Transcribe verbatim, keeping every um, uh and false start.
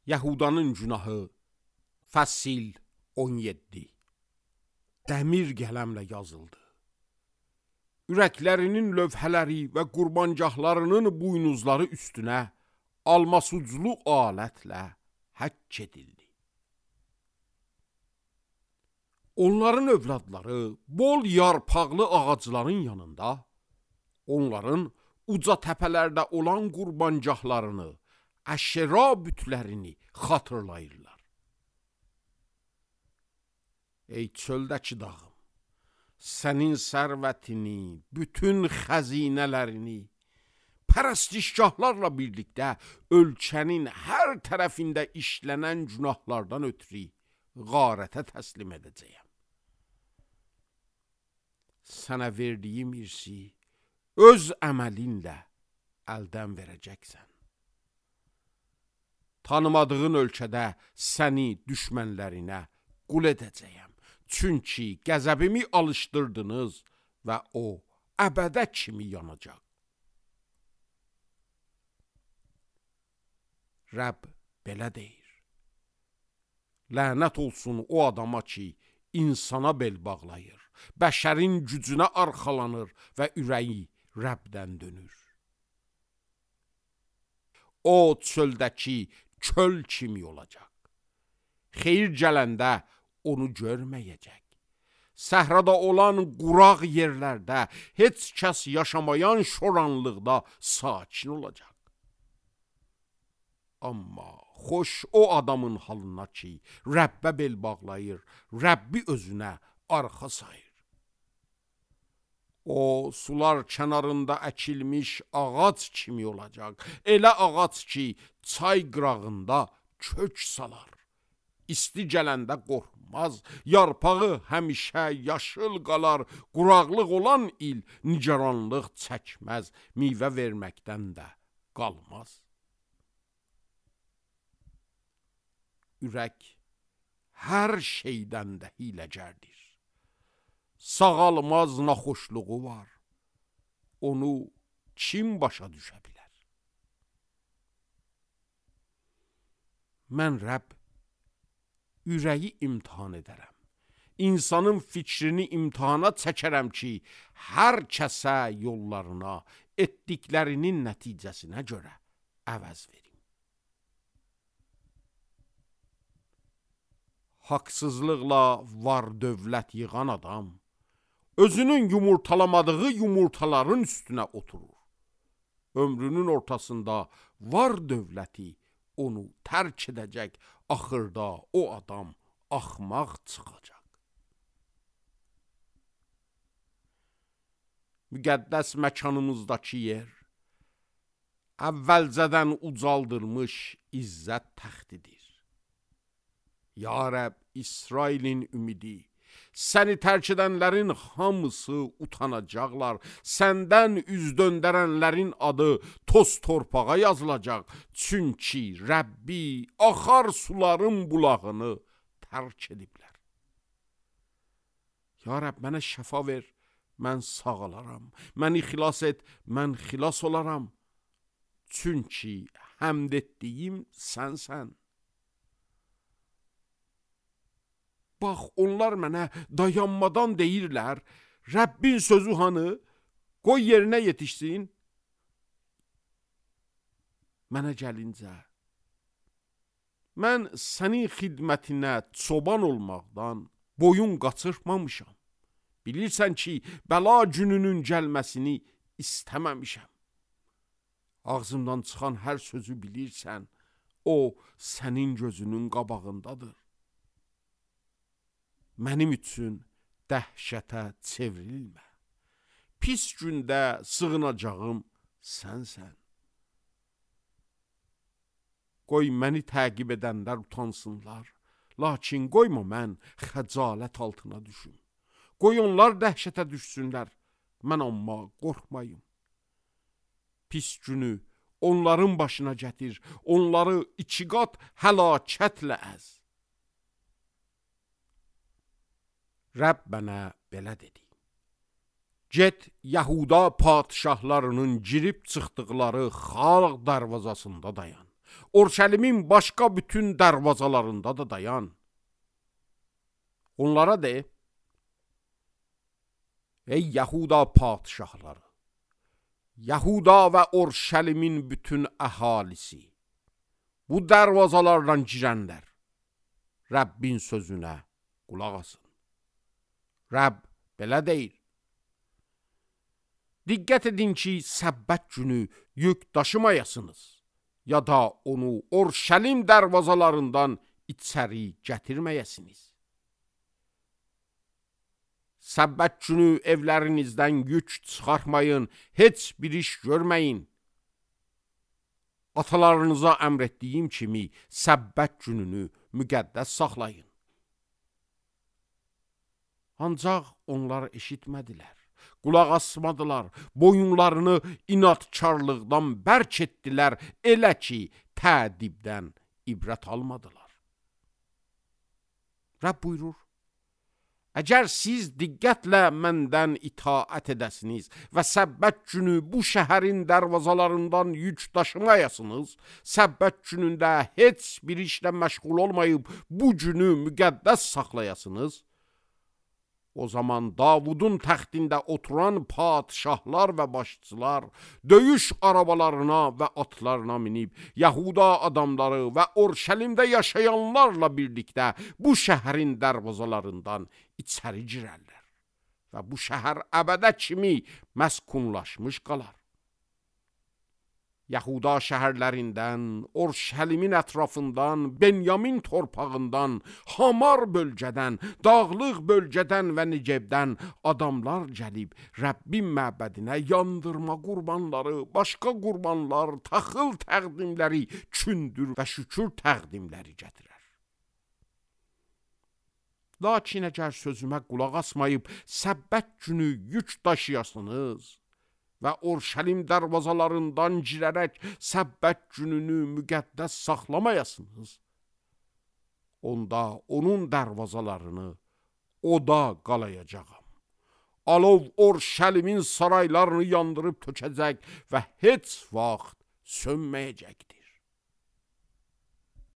Yahudanın günahı Fəsil on yeddi. Dəmir qələmlə yazıldı. Ürəklərinin lövhələri və qurbancahlarının buynuzları üstünə almasuclu alətlə həkk edildi. Onların övladları bol yarpaqlı ağacların yanında, onların uca təpələrdə olan qurbancahlarını, əşra bütlərini xatırlayırlar. Ey çöldəki dağım, sənin sərvətini, bütün xəzinələrini, pərəstişgahlarla birlikdə ölkənin hər tərəfində işlənən günahlardan ötürü qarətə təslim edəcəyəm. Sənə verdiyim irsi öz əməlinlə əldən verəcəksən. Tanımadığın ölkədə səni düşmənlərinə qul edəcəyəm. Çünki qəzəbimi alışdırdınız və o əbədə kimi yanacaq. Rəbb belə deyir. Lənət olsun o adama ki, insana bel bağlayır, bəşərin gücünə arxalanır və ürəyi Rəbdən dönür. O çöldəki köl kimi olacaq. Xeyir gələndə onu görməyəcək. Səhrada olan quraq yerlərdə heç kəs yaşamayan şoranlıqda sakin olacaq. Amma xoş o adamın halına ki, Rəbbə bel bağlayır, Rəbbi özünə arxa sayır. O, sular kənarında əkilmiş ağac kimi olacaq. Elə ağac ki, çay qırağında kök salar. İsti gələndə qorxmaz, yarpağı həmişə yaşıl qalar, quraqlıq olan il nigaranlıq çəkməz, meyvə verməkdən də qalmaz. Ürək hər şeydən də hiləgərdir. Sağalmaz naxoşluğu var. Onu kim başa düşə bilər? Mən Rəbb ürəyi imtihan edərəm. İnsanın fikrini imtihana çəkərəm ki, hər kəsə yollarına, etdiklərinin nəticəsinə görə əvəz verim. Haqsızlıqla var dövlət yığan adam, özünün yumurtalamadığı yumurtaların üstünə oturur. Ömrünün ortasında var dövləti onu tərk edəcək, axırda o adam axmaq çıxacaq. Müqəddəs məkanımızdakı yer, əvvəlcədən ucaldılmış izzət təxtidir. Ya Rəbb, İsrailin ümidi, səni tərk edənlərin hamısı utanacaqlar, səndən üz döndərənlərin adı toz torpağa yazılacaq, çünki Rəbbi axar suların bulağını tərk ediblər. Ya Rəbb, mənə şəfa ver, mən sağalaram, məni xilas et, mən xilas olaram, çünki həmd etdiyim sənsən. Bax, onlar mənə dayanmadan deyirlər, Rəbbin sözü hanı, qoy yerinə yetişsin. Mənə gəlincə, mən sənin xidmətinə çoban olmaqdan boyun qaçırmamışam. Bilirsən ki, bəla gününün gəlməsini istəməmişəm. Ağzımdan çıxan hər sözü bilirsən, o sənin gözünün qabağındadır. Mənim üçün dəhşətə çevrilmə. Pis gündə sığınacağım sənsən. Qoy məni təqib edənlər utansınlar, lakin qoyma mən xəcalət altına düşüm. Qoy onlar dəhşətə düşsünlər, mən amma qorxmayım. Pis günü onların başına gətir, onları iki qat həlakətlə əz. Rəbb mənə belə dedi. Get Yahuda padişahlarının girib çıxdıqları xalq darvazasında dayan. Orşəlimin başqa bütün dərvazalarında da dayan. Onlara de, ey Yahuda padişahları, Yahuda və Orşəlimin bütün əhalisi, bu dərvazalardan girənlər, Rəbbin sözünə qulaq asın. Rəbb belə deyir. Diqqət edin ki, səbbət günü yük daşımayasınız, ya da onu Orşəlim dərvazalarından içəri gətirməyəsiniz. Səbbət günü evlərinizdən yük çıxartmayın, heç bir iş görməyin. Atalarınıza əmr etdiyim kimi səbbət gününü müqəddəs saxlayın. Ancaq onlar eşitmədilər, qulaq asmadılar, boyunlarını inatkarlıqdan bərk etdilər, elə ki, tədibdən ibrət almadılar. Rəbb buyurur, əgər siz diqqətlə məndən itaət edəsiniz və səbbət günü bu şəhərin dərvazalarından yük daşımayasınız, səbbət günündə heç bir işlə məşğul olmayıb bu günü müqəddəs saxlayasınız, o zaman Davudun təxtində oturan padişahlar və başçılar döyüş arabalarına və atlarına minib, Yahuda adamları və Orşəlimdə yaşayanlarla birlikdə bu şəhərin dərvazalarından içəri girərlər və bu şəhər əbədə kimi məskunlaşmış qalar. Yahuda şəhərlərindən, Orşəlimin ətrafından, Benyamin torpağından, Hamar bölgədən, dağlıq bölgədən və Necebdən adamlar gəlib Rəbbin məbədinə yandırma qurbanları, başqa qurbanlar, taxıl təqdimləri, kündür və şükür təqdimləri gətirər. Lakin əgər sözümə qulaq asmayıb səbbət günü yük daşıyasınız və Orşəlim dərvazalarından girərək səbbət gününü müqəddəs saxlamayasınız, onda onun dərvazalarını oda qalayacağam. Alov Orşəlimin saraylarını yandırıb tökəcək və heç vaxt sönməyəcəkdir.